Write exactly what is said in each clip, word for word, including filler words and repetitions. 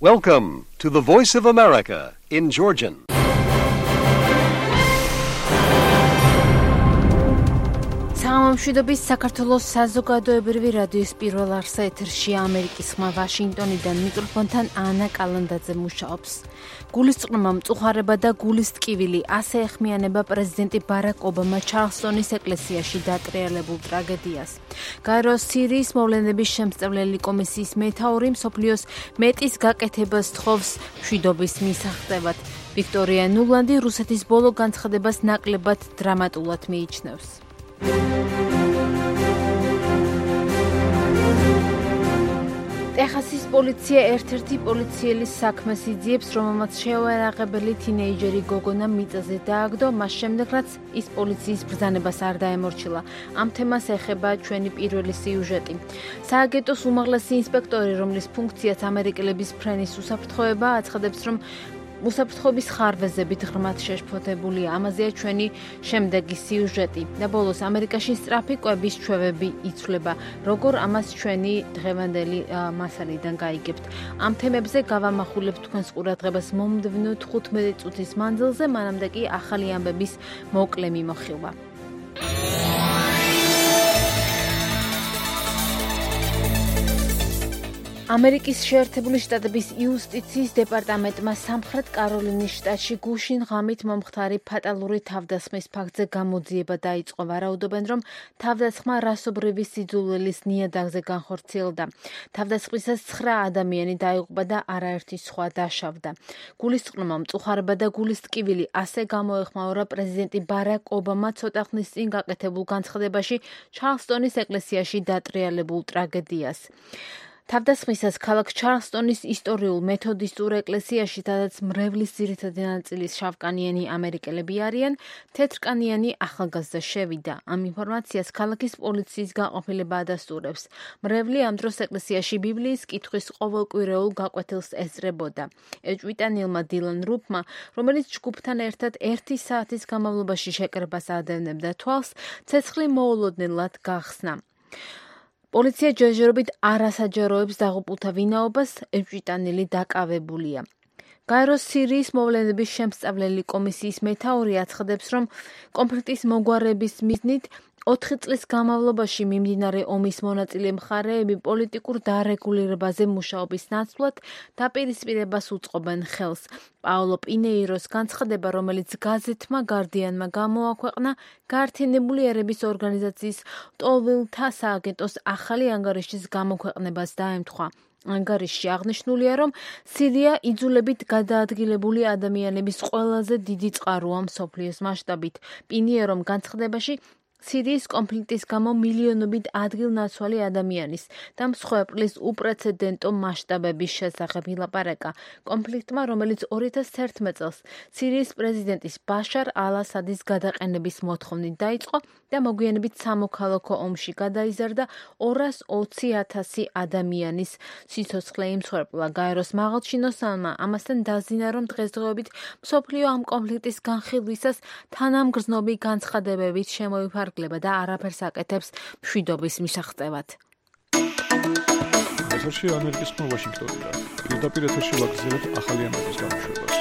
Welcome to the Voice of America in Georgian. სამშვიდობის საქართველოს საზოგადოებრივი რადიოს პირველ არსა ეთერში ამერიკის ხმა ვაშინგტონიდან მიკროფონთან ანა კალანდაძე მუშაობს. გულისწყრომა მწუხარება და გულის ტკივილი ასე ეხმიანება პრეზიდენტი ბარაკ ობამა ჩარლსტონის ეკლესიაში დატრიალებულ ტრაგედიას. გაეროს სირიის მოვლენების შემსწავლელი კომისიის მეთაური მსოფლიოს მეტის გაკეთებას თხოვს მშვიდობის მისაღწევად. ვიქტორია ნულანდი რუსეთის ბოლო განცხადებას ნაკლებად დრამატულად მიიჩნევს. ტეხასის პოლიცია ერთ-ერთი პოლიციელის საქმეს იძიებს, რომელმაც შეუერაღებელი თინეიჯერი გოგონა მიწაზე დააგდო, მას შემდეგ, რაც ის პოლიციის ბრძანებას არ დაემორჩილა. ამ თემას ეხება ჩვენი პირველი სიუჟეტი. სააგენტოს უმაღლესი ინსპექტორი, რომლის ფუნქციაც ამერიკელების ფრენის უსაფრთხოება, აცხადებს, რომ უსაფრთხოების ხარვეზებით ღრმად შეშფოთებულია. ამაზეა ჩვენი შემდეგი სიუჟეტი. და ბოლოს ამერიკაში სწრაფი კვების ჩვევები იცვლება. როგორ ამას ჩვენი დღევანდელი მასალიდან გაიგებთ. ამ თემებზე გავამახვილებთ თქვენს ყურადღებას მომდევნო თხუთმეტი წუთის მანძილზე, მანამდე კი ახალი ამბების მოკლე მიმოხილვა. ამერიკის შეერთებული შტატების იუსტიციის დეპარტამენტმა სამხრეთ კაროლინის შტატში გუშინ ღამით მომხდარი ფატალური თავდასხმის ფაქტზე გამოძიება დაიწყო. ვარაუდობენ, რომ თავდასხმა რასობრივი სიძულვილის ნიადაგზე განხორციელდა. თავდასხმისას ცხრა ადამიანი დაიღუპა და არაერთი სხვა დაშავდა. გულისწყრომა მწუხარება და გულის ტკივილი ასე გამოეხმაურა პრეზიდენტი ბარაკ ობამა ცოტა ხნის წინ გაკეთებულ განცხადებაში ჩარლსტონის ეკლესიაში დატრიალებულ ტრაგედიას. თავდასხმისას ქალაქ ჩარლსტონის ისტორიულ მეთოდისტურ ეკლესიაში, სადაც მრევლის ძირითადი ნაწილის შავკანიანი ამერიკელები არიან, თეთრკანიანი ახალგაზრდა შევიდა. ამ ინფორმაციას ქალაქის პოლიციის განყოფილება ადასტურებს. მრევლი ამ დროს ეკლესიაში ბიბლიის კითხვის ყოველკვირეულ გაკვეთილს ესწრებოდა. ეჭვიტანილმა დილან რუფმა, რომელიც ჯგუფთან ერთად ერთი საათის განმავლობაში შეკრებას ადევნებდა თვალს, ცეცხლი მოულოდნელად გახსნა. პოლიცია ჯერჯერობით არ ასაჯაროებს დაღუპულთა ვინაობას, ეჭვიტანილი დაკავებულია. გაეროს სირიის მოვლენების შემსწავლელი კომისიის მეთაური აცხადებს, რომ კონფლიქტის მოგვარების მიზნით ოთხი წლის განმავლობაში მიმდინარე ომის მონაწილე მხარეები პოლიტიკურ დარეგულირებაზე მუშაობის ნაცვლად დაპირისპირებას უწყობენ ხელს. პაოლო პინეიროს განცხადება, რომელიც გაზეთმა გარდიანმა გამოაქვეყნა, გაერთიანებული ერების ორგანიზაციის ლტოლვილთა სააგენტოს ახალი ანგარიშის გამოქვეყნებას დაემთხვა. ანგარიშში აღნიშნულია, რომ სირია იძულებით გადაადგილებული ადამიანების ყველაზე დიდი წყაროა მსოფლიოს მასშტაბით. პინიერომ განცხადებაში სირიის კონფლიქტის გამო მილიონობით ადგილნაცვალი ადამიანის და მსხვერპლის უპრეცედენტო მასშტაბების შესახებ ილაპარაკა. კონფლიქტმა, რომელიც ორი ათას თერთმეტ წელს სირიის პრეზიდენტის ბაშარ ალ-ასადის გადაყენების მოთხოვნით დაიწყო და მოგვიანებით სამოქალაქო ომში გადაიზარდა ორას ოცი ათასი ადამიანის სიცოცხლე იმსხვერპლა. გაეროს მაღალჩინოსანმა ამასთან დაზინა, რომ დღესდღეობით მსოფლიო ამ კონფლიქტის განხილვისას თანამგრძნობი განცხადებებით შემოიფარგლება და არაფერს აკეთებს მშვიდობის მისაღწევად. ეთერში ამერიკის ხმა ვაშინგტონიდან. პირდაპირ ეთერში ვაგრძელებთ ახალი ამბების გამოშვებას.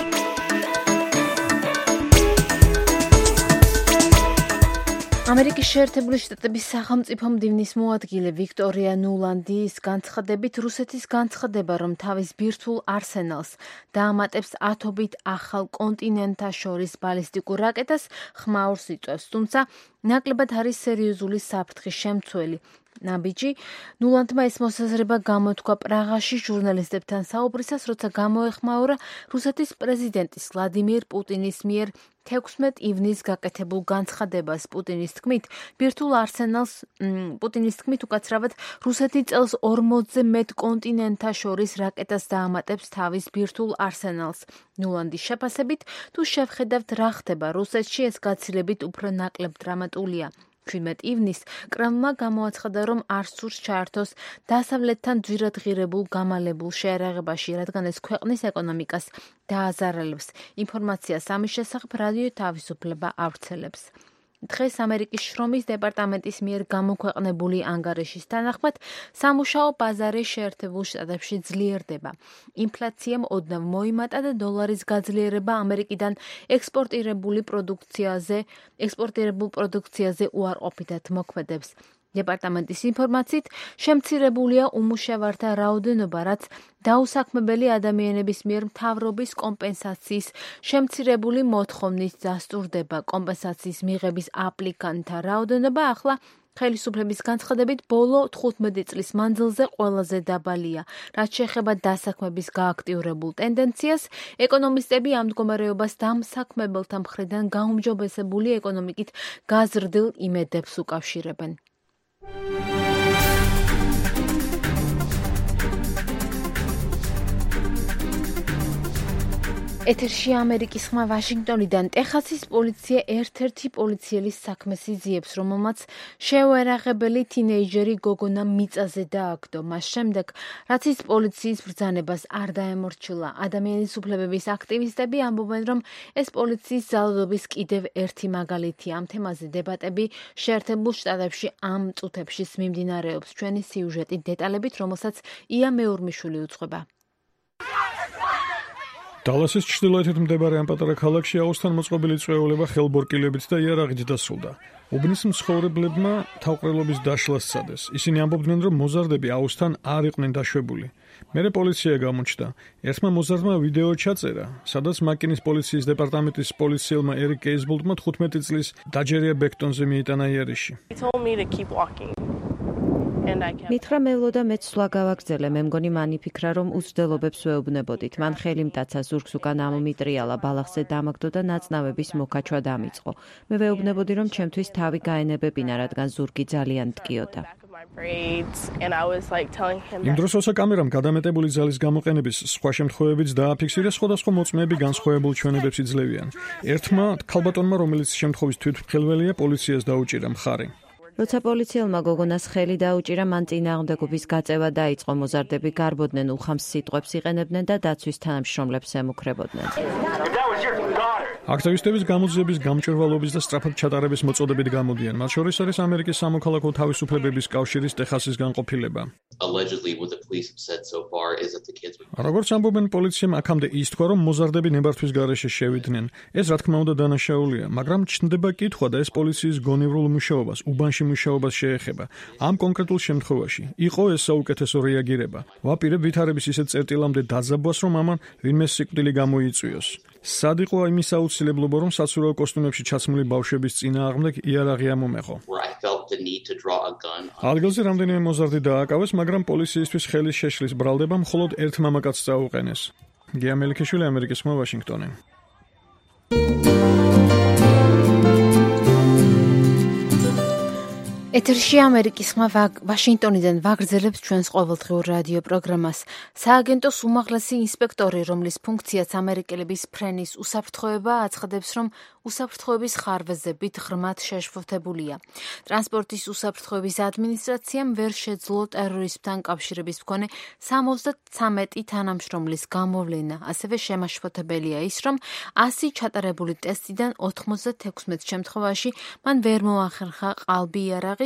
ამერიკის შეერთებული შტატების სახელმწიფო მდივნის მოადგილე ვიქტორია ნულანდის განცხადებით, რუსეთის განცხადება, რომ თავის ბირთვულ არსენალს დაამატებს ათობით ახალ კონტინენტაშორის ბალისტიკურ რაკეტას, ხმაურს იწვევს, თუმცა ნაკლებად არის სერიოზული საფრთხის შემცველი. ნაბიჯი ნულანდმა ეს მოსაზრება გამოთქვა პრაღაში ჟურნალისტებთან საუბრისას, როცა გამოეხმაურა რუსეთის პრეზიდენტის ვლადიმირ პუტინის მიერ თექვსმეტ ივნისს გაკეთებულ განცხადებას. პუტინის თქმით, ბირთვულ არსენალს პუტინის თქმით უკაცრავად რუსეთი წელს ორმოცზე მეტ კონტინენტაშორის რაკეტას დაამატებს თავის ბირთვულ არსენალს. ნულანდის შეფასებით, თუ შევხედავთ რა ხდება რუსეთში, ეს გაცილებით უფრო ნაკლებ დრამატულია. ჩვიდმეტ ივნისს კრემლმა გამოაცხადა, რომ არ სურს ჩაერთოს დასავლეთთან ძვირადღირებულ გამალებულ შეერაღებაში, რადგან ეს ქვეყნის ეკონომიკას დააზარალებს. ინფორმაციას ამის შესახებ რადიო თავისუფლება ავრცელებს. დღეს ამერიკის შრომის დეპარტამენტის მიერ გამოქვეყნებული ანგარიშის თანახმად, სამუშაო ბაზარი შეერთებულ შტატებში ძლიერდება. ინფლაციამ ოდნავ მოიმატა და დოლარის გაძლიერება ამერიკიდან ექსპორტირებული პროდუქციაზე, ექსპორტირებულ პროდუქციაზე უარყოფითად მოქმედებს. დეპარტამენტის ინფორმაციით, შემცირებულია უმუშევართა რაოდენობა, რაც დაუსაქმებელი ადამიანების მიერ მთავრობის კომპენსაციის შემცირებული მოთხოვნით დასტურდება. კომპენსაციის მიღების აპლიკანტთა რაოდენობა ახლა ხელისუფლების განცხადებით ბოლო თხუთმეტი წლის მანძილზე ყველაზე დაბალია. რაც შეეხება დასაქმების გააქტიურებულ ტენდენციას, ეკონომისტები ამ მდგომარეობას დამსაქმებელთა მხრიდან გაუმჯობესებული ეკონომიკით გაზრდილ იმედებს უკავშირებენ. ეთერში ამერიკის ხმა ვაშინგტონიდან. ტეხასის პოლიცია ერთ-ერთი პოლიციელის საქმეს იძიებს, რომელმაც შეუერაღებელი თინეიჯერი გოგონა მიწაზე დააგდო. მას შემდეგ, რაც ის პოლიციის ბრძანებას არ დაემორჩილა, ადამიანის უფლებების აქტივისტები ამბობენ, რომ ეს პოლიციის ძალადობის კიდევ ერთი მაგალითია. ამ თემაზე დებატები შეერთებულ შტატებში ამ წუთებშიც მიმდინარეობს. ჩვენი სიუჟეტი დეტალებით, რომელსაც ია მეურმიშვილი უძღვება. დალასის ჩრდილოეთით მდებარე ამ პატარა ქალაქში აუზთან მოწყობილი წვეულება ხელბორკილებით და იარაღით დასრულდა. უბნის მცხოვრებლებმა თავყრელობის დაშლას სცადეს. ისინი ამბობდნენ, რომ მოზარდები აუზთან არ იყვნენ დაშვებული. მერე პოლიცია გამოჩნდა. ერთმა მოზარდმა ვიდეო ჩაწერა, სადაც მაკინის პოლიციის დეპარტამენტის პოლიციელმა ერიკ კეისბოლტმა თხუთმეტი წლის დაჯერია ბექტონზე მიიტანა იერიში. მითხრა მელო და მეც სვლა გავაგრძელე. მე მგონი მან იფიქრა, რომ უცდელობებს ვეუბნებოდით. მან ხელი მტაცა, ზურგს უკან ამომიტრიალა, ბალახზე დამაგდო და ნაწნავების მოკაჩვა დამიწყო. მე ვეუბნებოდი, რომ ჩემთვის თავი გაენებებინა, რადგან ზურგი ძალიან მტკიოდა. იმ დროს ოცა კამერამ გადამეტებული ძალის გამოყენების სხვა შემთხვევებიც დააფიქსირა, სხვადასხვა მოწმეები განსხვავებულ ჩვენებებს იძლევიან. ერთმა ქალბატონმა, რომელიც შემთხვევის თვითმხილველია, პოლიციას დაუჭირა მხარი. როცა პოლიციელმა გოგონას ხელი დაუჭირა, მან წინააღმდეგობის გაწევა დაიწყო. მოზარდები გარბოდნენ, უხამს სიტყვებს იყენებდნენ და დაცვის თანამშრომლებს ემუქრებოდნენ. აქტივისტების გამოძიების, გამჭვირვალობის და სწრაფად ჩატარების მოწოდებით გამოდიან. მათ შორის არის ამერიკის სამოქალაქო თავისუფლებების კავშირის ტეხასის განყოფილება. როგორც ამბობენ, პოლიციამ აქამდე ის თქვა, რომ მოზარდები ნებართვის გარეშე შევიდნენ. ეს რა თქმა უნდა დანაშაულია, მაგრამ ჩნდება კითხვა და ეს პოლიციის გონივრულ მუშაობას, უბანში მუშაობას შეეხება. ამ კონკრეტულ შემთხვევაში იყო ეს საუკეთესო რეაგირება. ვაპირებ ვითარების ისეთ წერტილამდე დაძაბვას, რომ ამან ვინმე სიკვდილი გამოიწვიოს. სად იყო იმის აუცილებლობა, რომ საცურაო კოსტუმებში ჩაცმული ბავშვების წინააღმდეგ იარაღი ამომეღო? ადგილზე რამდენიმე მოზარდი დააკავეს, მაგრამ პოლიციისთვის ხელის შეშლის ბრალდება მხოლოდ ერთ მამაკაცს წაუყენეს. გია მელიქიშვილი, ამერიკის ხმა, ვაშინგტონი. ეთერში ამერიკის ხმა ვაშინგტონიდან ვაგრძელებთ ჩვენს ყოველდღიურ რადიო პროგრამას. სააგენტოს უმაღლესი ინსპექტორი, რომლის ფუნქციაც ამერიკელების ფრენის უსაფრთხოება, აცხადებს, რომ უსაფრთხოების ხარვეზებით ღრმად შეშფოთებულია. ტრანსპორტის უსაფრთხოების ადმინისტრაციამ ვერ შეძლო ტერორიზმთან კავშირების მქონე სამოცდათრამეტი თანამშრომლის გამოვლენა. ასევე შემაშფოთებელია ის, რომ ასი ჩატარებული ტესტიდან ოთხმოცდათექვსმეტ შემთხვევაში მან ვერ მოახერხა ყალბი იარაღი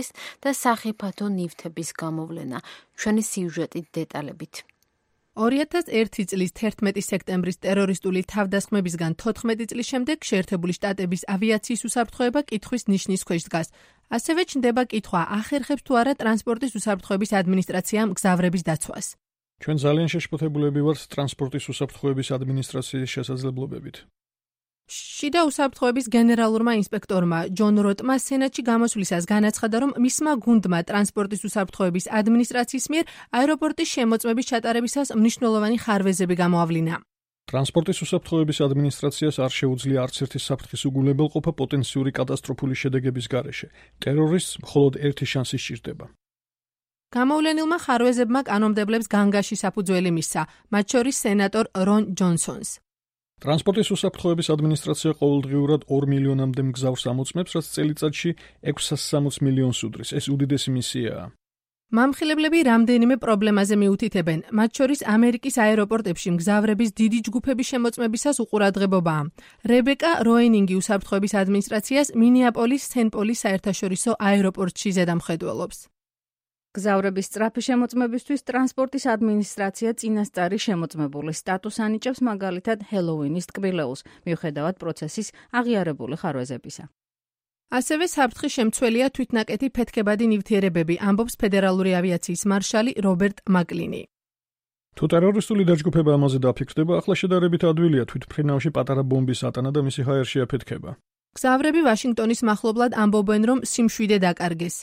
და სახიფათო ნივთების გამოვლენა. ჩვენი სიუჟეტით დეტალებით. ორი ათას ერთი წლის თერთმეტი სექტემბრის ტერორისტული თავდასხმებისგან თოთხმეტი წლის შემდეგ შეერთებული შტატების ავიაციის უსაფრთხოება კითხვის ნიშნის ქვეშ დგას. ასევე ჩნდება კითხვა, ახერხებს თუ არა ტრანსპორტის უსაფრთხოების ადმინისტრაციამ გზავრების დაცვას. ჩვენ ძალიან შეშფოთებულები ვართ ტრანსპორტის უსაფრთხოების ადმინისტრაციის შესაძლებლობებით. შიდა უსაფრთხოების გენერალურმა ინსპექტორმა ჯონ როტმა სენატში გამოსვლისას განაცხადა, რომ მისმა გუნდმა ტრანსპორტის უსაფრთხოების ადმინისტრაციის მიერ აეროპორტის შემოწმების ჩატარებისას მნიშვნელოვანი ხარვეზები გამოავლინა. ტრანსპორტის უსაფრთხოების ადმინისტრაციას არ შეუძლია არც ერთი საფრთხის უგულებელყოფა პოტენციური კატასტროფული შედეგების გარეშე. ტერორისტს მხოლოდ ერთი შანსი სჭირდება. გამოვლენილმა ხარვეზებმა კანონმდებლებს განგაში საფუძველი მისცა, მათ შორის სენატორ რონ ჯონსონს. ტრანსპორტის უსაფრთხოების ადმინისტრაცია ყოველდღიურად ორ მილიონამდე მგზავრს ამოწმებს, რაც წელიწადში ექვსსა სამოცდ მილიონს უდრის. ეს უდიდესი მისიაა. მამხილებლები რამდენიმე პრობლემაზე მიუთითებენ, მათ შორის ამერიკის აეროპორტებში მგზავრების დიდი ჯგუფების შემოწმებისას უყურადღებობაა. რებეკა როენინგი უსაფრთხოების ადმინისტრაციას მინეაპოლის სენ-პოლის საერთაშორისო აეროპორტში ზედამხედველობს. გზავრების სწრაფი შემოწმებისთვის ტრანსპორტის ადმინისტრაცია წინასწარი შემოწმებულის სტატუსს ანიჭებს მაგალითად ჰელოუინის ტკბილეულს, მიუხედავად პროცესის აღიარებული ხარვეზებისა. ასევე საფრთხის შემცველია თვითნაკეთი ფეთქებადი ნივთიერებები, ამბობს ფედერალური ავიაციის მარშალი რობერტ მაკლინი. თუ ტერორისტული დაჯგუფება ამაზე დაფიქსდება, ახლა შედარებით ადვილია თვითმფრინავში პატარა ბომბის ატანა და მისი ჰაერში აფეთქება. გზავრები ვაშინგტონის მახლობლად ამბობენ, რომ სიმშვიდე დაკარგეს.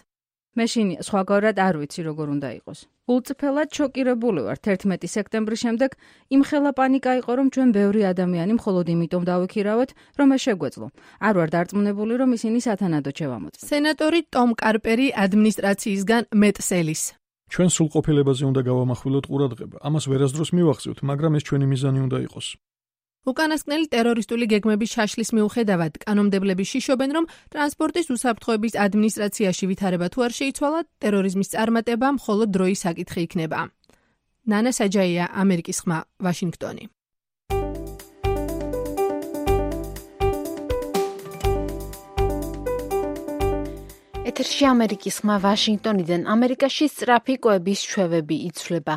მე შინ სხვაგვარად არ ვიცი როგორ უნდა იყოს. ულწრფელად შოკირებული ვარ თერთმეტი სექტემბრის შემდეგ, იმხელა პანიკა იყო, რომ ჩვენ ბევრი ადამიანი მხოლოდ იმიტომ დავიქირავეთ, რომ ეს შეგვეძლო. არ ვარ დარწმუნებული, რომ ისინი სათანადოდ შევამოწმოთ. სენატორი ტომ კარპერი ადმინისტრაციისგან მეტ სელის. ჩვენ სრულყოფილებაზე უნდა გავამახვილოთ ყურადღება. ამას ვერასდროს მივახსოვთ, მაგრამ ეს ჩვენი მიზანი უნდა იყოს. უკანასკნელი ტერორისტული გეგმების შაშლის მიუხედავად, კანონმდებლები შიშობენ, რომ ტრანსპორტის უსაფრთხოების ადმინისტრაციაში ვითარება თუ არ შეიცვალა, ტერორიზმის წარმატება მხოლოდ დროის საკითხი იქნება. ნანა საჯაია, ამერიკის ხმა, ვაშინგტონი. ეთერში ამერიკის ხმა ვაშინგტონიდან. ამერიკაში სწრაფი კვების ჩვევები იცვლება.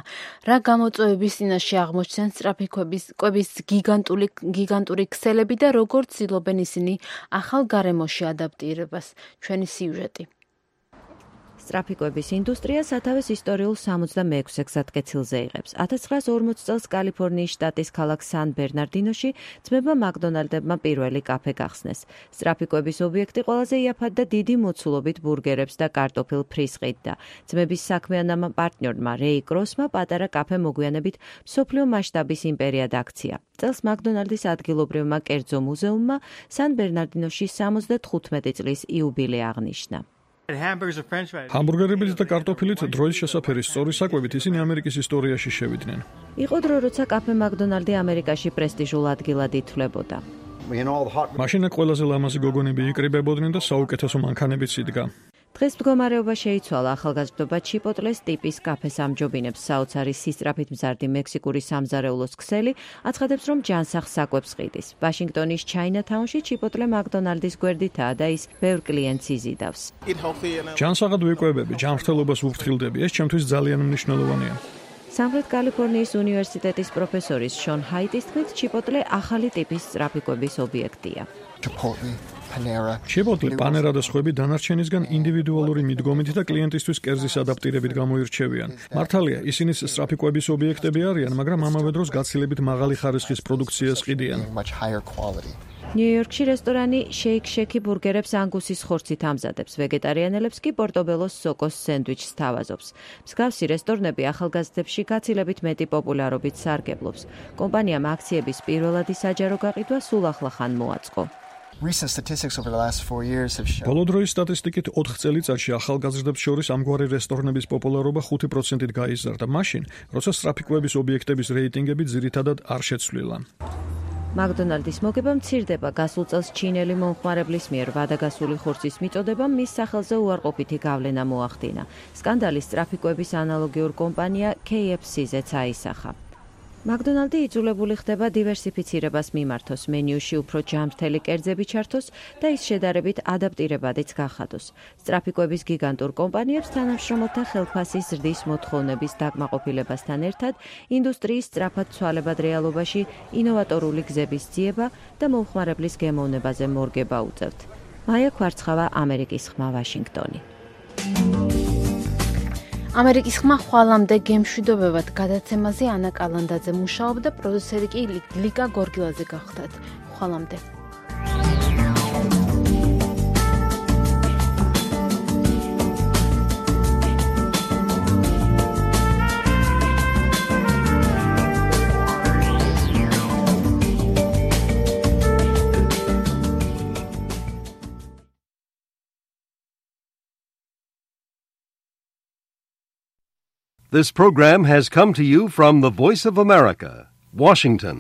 რა გამოწვევების წინაშე აღმოჩნდნენ სწრაფი კვების კვების გიგანტური გიგანტური ქსელები და როგორ ცდილობენ ისინი ახალ გარემოში ადაპტირებას. ჩვენი სიუჟეტი. სწრაფი კვების ინდუსტრია სათავეს ისტორიულ სამოცდამეექვსე გზატკეცილზე იღებს. ათას ცხრაას ორმოცი წელს კალიფორნიის შტატის ქალაქ სან-ბერნარდინოში ძმებმა მაკდონალდებმა პირველი კაფე გახსნეს. სწრაფი კვების ობიექტი ყველაზე იაფად და დიდი მოცულობით ბურგერებს და კარტოფილ ფრის ყიდდა. ძმების საქმიანმა პარტნიორმა რეი კროსმა პატარა კაფე მოგვიანებით მსოფლიო მასშტაბის იმპერიად აქცია. წელს მაკდონალდის ადგილობრივმა კერძო მუზეუმმა სან-ბერნარდინოში სამოცდათხუთმეტი წლის იუბილე აღნიშნა. ჰამბურგერებით და კარტოფილით დროის შესაფერი სწორი საკვებით ისინი ამერიკის ისტორიაში შევიდნენ. იყო დრო, როცა კაფე მაკდონალდი ამერიკაში პრესტიჟულ ადგილად ითვლებოდა. მაშინ ყველაზე ლამაზი გოგონები იკრიბებოდნენ და საუკეთესო მანქანებიც იდგა. დღეს მდგომარეობა შეიცვალა. ახალგაზრდობა ჩიპოტლეს ტიპის კაფეს ამჯობინებს. საოცარი სისწრაფით მზარდი მექსიკური სამზარეულოს ქსელი აცხადებს, რომ ჯანსაღ საკვებს ყიდის. ვაშინგტონის ჩაინათაუნში ჩიპოტლე მაკდონალდის გვერდითაა და ის ბევრ კლიენტს იზიდავს. ჯანსაღად ვიკვებები, ჯანმრთელობას ვუფრთხილდები. ეს ჩემთვის ძალიან მნიშვნელოვანია. სამხრეთ კალიფორნიის უნივერსიტეტის პროფესორის შონ ჰაიტის თქმით, ჩიპოტლე ახალი ტიპის სწრაფი კვების ობიექტია. ჩიპოტლე, პანერა და სხვები დანარჩენისგან ინდივიდუალური მიდგომით და კლიენტისთვის კერძის ადაპტირებით გამოირჩევიან. მართალია, ისინი სწრაფი კვების ობიექტები არიან, მაგრამ ამავე დროს გაცილებით მაღალი ხარისხის პროდუქციას ყიდიან. ნიუ-იორკში რესტორანი Shake Shack ბურგერებს ანგუსის ხორცით ამზადებს. ვეგეტარიანელებს კი პორტობელოს სოკოს სენდვიჩს თავაზობს. მსგავსი რესტორნები ახალგაზრდებში გაცილებით მეტი პოპულარობით სარგებლობს. კომპანიამ აქციების პირველადი საჯარო გაყიდვა სულ ახლახან მოაწყო. ბოლო დროის სტატისტიკით ოთხ წელიწადში ახალგაზრდებს შორის ამგვარი რესტორნების პოპულარობა ხუთი პროცენტით გაიზარდა, მაშინ, როცა სწრაფი კვების ობიექტების რეიტინგები ძირითადად არ შეცვლილა. მაკდონალდის მოგება მცირდება. გასულ წელს ჩინელი მომხმარებლის მიერ ვადაგასული ხორცის მიწოდებამ მის სახელზე უარყოფითი გავლენა მოახდინა. სკანდალის სწრაფი კვების ანალოგიურ კომპანია K F C-ზეც აისახა. მაკდონალდი იძულებული ხდება დივერსიფიცირებას მიმართოს, მენიუში უფრო ჯანმრთელი კერძები ჩართოს და ის შედარებით ადაპტირებადიც გახადოს. სწრაფი კვების გიგანტურ კომპანიებს თანამშრომელთა ხელფასის ზრდის მოთხოვნების დაკმაყოფილებასთან ერთად ინდუსტრიის სწრაფად ცვალებად რეალობაში ინოვატორული გზების ძიება და მომხმარებლის გემოვნებაზე მორგება უწევთ. მაია ქვარცხავა, ამერიკის ხმა, ვაშინგტონი. ამერიკის ხმა ხვალამდე გემშვიდობებად გადაცემაზე ანა კალანდაძე მუშაობდა, პროდიუსერი კი ლიკა გორგილაძე გახდათ. ხვალამდე. This program has come to you from the Voice of America, Washington.